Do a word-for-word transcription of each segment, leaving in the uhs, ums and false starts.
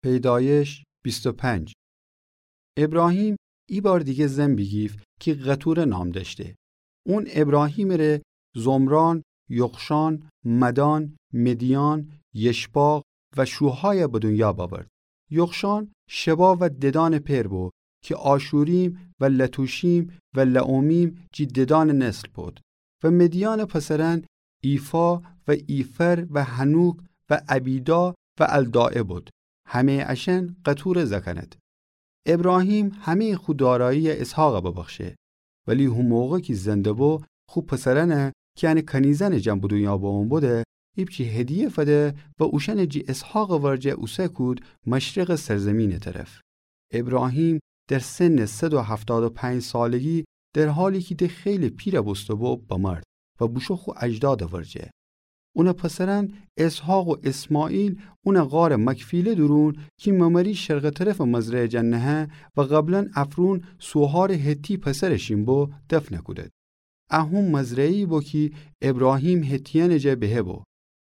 پیدایش بیست و پنج. ابراهیم ایبار دیگه زن بیگیفت کی قتوره نام دأشته. اون ابراهیمٚ ره زمران، یقشان، مدان، مدیان، یشباق و شوهای به دنیا بأورد. یقشان شبا و ددانٚ پئر بو کی آشوریم و لتوشیم و لعمیم جی ددانٚ نسل بود. و مدیانٚ پسرأن ایفا و ایفر و حنوک و ابیدا و الداعه بود. همه‌یٚ اشأن قتوره زأکأنید. ابراهیم همه‌یٚ خو دارایی‌یَ اسحاقَ ببخشه. ولی هو موقع کی زنده بو، خو پسرأنَ کی انٚ کنیزأنٚ جا به دنیا بمو بوده، ایپچی هدیه فده و اوشأنَ جی اسحاقٚ ورجه اوسه کود مشرقٚ سرزیمینٚ طرف. ابراهیم در سنٚ صد و هفتاد و پنج سالگی، در حالی کی ده خیلی پیرَ بوسته بو، بمرد و بوشو خو اجدادٚ ورجه. اونٚ پسرأن اسحاق و اسماعیل اونَ غارٚ مکفیله دورون کی ممری شرقٚ طرفٚ مزرعه جا نهه و قبلاً افرون سوهارٚ حتی پسرٚ شین بو دفنَ کودید. ا هو مزرعه‌یی بو کی ابراهیم حتیأنٚ جا بهه بو.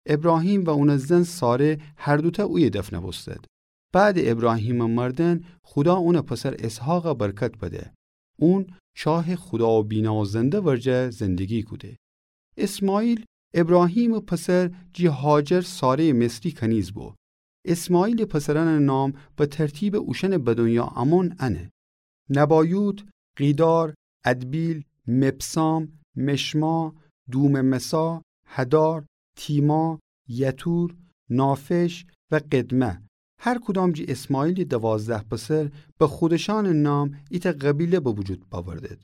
ابراهیم و اونٚ زن ساره هر دوتأ اویه دفنَ بوستید. بعدٚ ابراهیمٚ مردن خودا اونٚ پسر اسحاقَ برکت بده. اون چاه خودا و بینا و زنده ورجه زندگی کوده. اسماعیل ابراهیمٚ پسر جی هاجر ساره‌یٚ مصری کنیز بو. اسماعیلٚ پسرأنٚ نام به ترتیبٚ اوشأنٚ به دنیا امون انه: نبایوت، قیدار، ادبیل، مبسام، مشما، دوم‌مسا، هدار، تیما، یتور، نافش و قدمه. هر کدام جی اسماعیلٚ دوازده پسر به خودشأنٚ نام ایتأ قبیله به وجود بأوردید.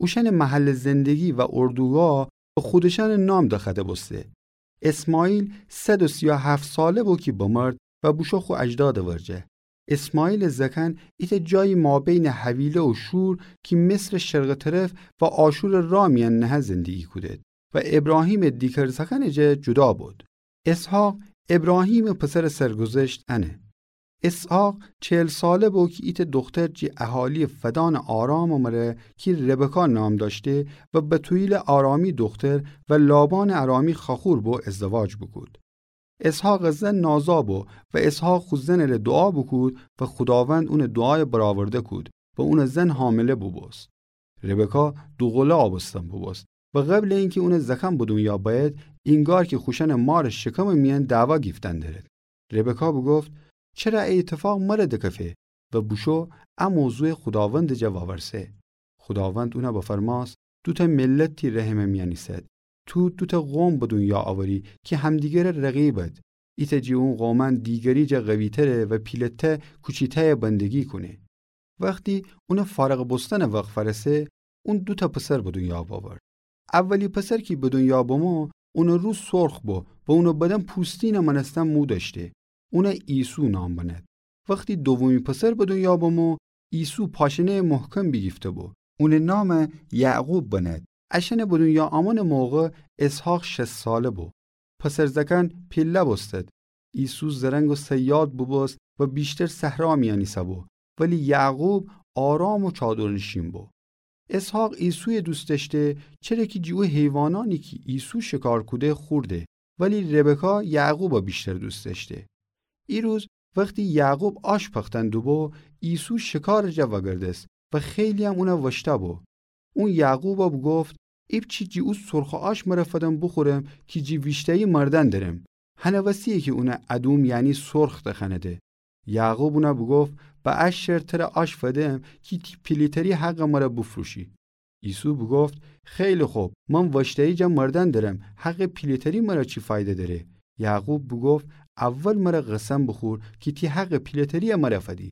اوشأنٚ محلٚ زندگی و اردوگاه به خودشأنٚ نام دخوأده بوسته. اسماعیل صد و سی و هفت ساله بو کی بمرد و بوشو خو اجدادٚ ورجه. اسماعیلٚ زأکأن ایتأ جایی مابینٚ حویله و شور کی مصرٚ شرقٚ طرف و آشورٚ راه میأن نهه زندگی کودید و ابراهیمٚ دیگر زأکأنٚ جا جدا بود. اسحاق ابراهیمٚ پسرٚ سرگذشت انه. اسحاق چهل ساله بو کی ایتأ دختر جی اهالیٚ فدانٚ آرامٚ مره کی ربکا نام دأشته و بتوئیلٚ آرامی دختر و لابانٚ آرامی خاخور بو ازدواج بوکود. اسحاقٚ زن نازا بو و اسحاق خو زنٚ ره دوعا بوکود و خوداوند اونٚ دوعایَ برآورده کود و اونٚ زن حامله بوبوست. ربکا دوقله آبستن بوبوست و قبلٚ اینکی اونٚ زأکأن به دنیا بأید، اینگار کی خوشأنٚ مارٚ شکمٚ میأن دعوا گیفتن دأرید. ربکا بوگفت: چره ا ایتفاق مره دکفه؟ و بوشو ا موضوعَ خوداوندٚ جا وأورسه. خوداوند اونَ بفرمأست: دوتأ ملت تی رحمٚ میأن ایسد. تو دوتأ قوم به دنیا اوری کی همدیگرٚ رقیبید. ایتأ جی اون قومأن دیگری جا قوی‌تره و پیلتأ کوچیتأیَ بندگی کونه. وختی اونٚ فارغ بوستنٚ وخت فأرسه، اون دوتأ پسر به دنیا بأورد. اولی پسر کی به دنیا بمو، اونٚ رو سرخ بو و اونٚ بدن پوستینٚ مأنستن مو دأشته. اونَ عیسو نام بنهد. وختی دومی پسر به دنیا بمو، عیسو پاشنه‌یٚ محکم بیگیفته بو. اونٚ نامَ یعقوب بنهد. اشأنٚ به دنیا امونٚ موقع اسحاق شصت ساله بو. پسر زأکأن پیله بوستد. عیسو زرنگ و صیاد بوبوست و ویشتر صحرا میأن ایسه‌بو، ولی یعقوب آرام و چادرنشین بو. اسحاق عیسویَ دوست دأشته، چره کی جی او حیوانأنی کی عیسو شکار کوده خورده، ولی ربکا یعقوبَ ویشتر دوست دأشته. ایروز وختی یعقوب آش پختن دوبو، عیسو شکارٚ جا وأگردست و خیلی‌یم اونَ وأشته‌بو. اون یعقوبَ بوگفت: ایپچی جی او سرخٚ آش مره فدن بوخورم کی جی ویشته‌یی مردن درم. هنٚ وسی‌یه کی اونَ ادوم، یعنی سرخ دخوأنده. یعقوب اونَ بوگفت: به ا شرط تره آش فدم کی تی پیله‌تری حقٚ مره بوفروشی. عیسو بوگفت: خیلی خب، من وأشته‌یی جا مردن درم، حقٚ پیله‌تری مره چی فایده دأره؟ یعقوب بوگفت: اول مره قسم بوخور کی تی حقٚ پیله‌تری‌یَ مره فدی.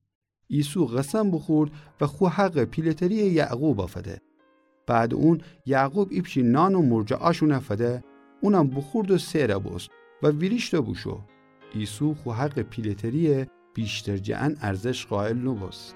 عیسو قسم بوخورد و خو حقٚ پیله‌تری‌یَ یعقوبَ فده. بعدٚ اون یعقوب ایپچی نان و مرجٚ آش اونَ فده، اونم بوخورد و سئرَ بوست و ویریشت و بوشو. عیسو خو حقٚ پیله‌تری‌یَ ویشتر جٚه ان ارزش قائل نوبوست.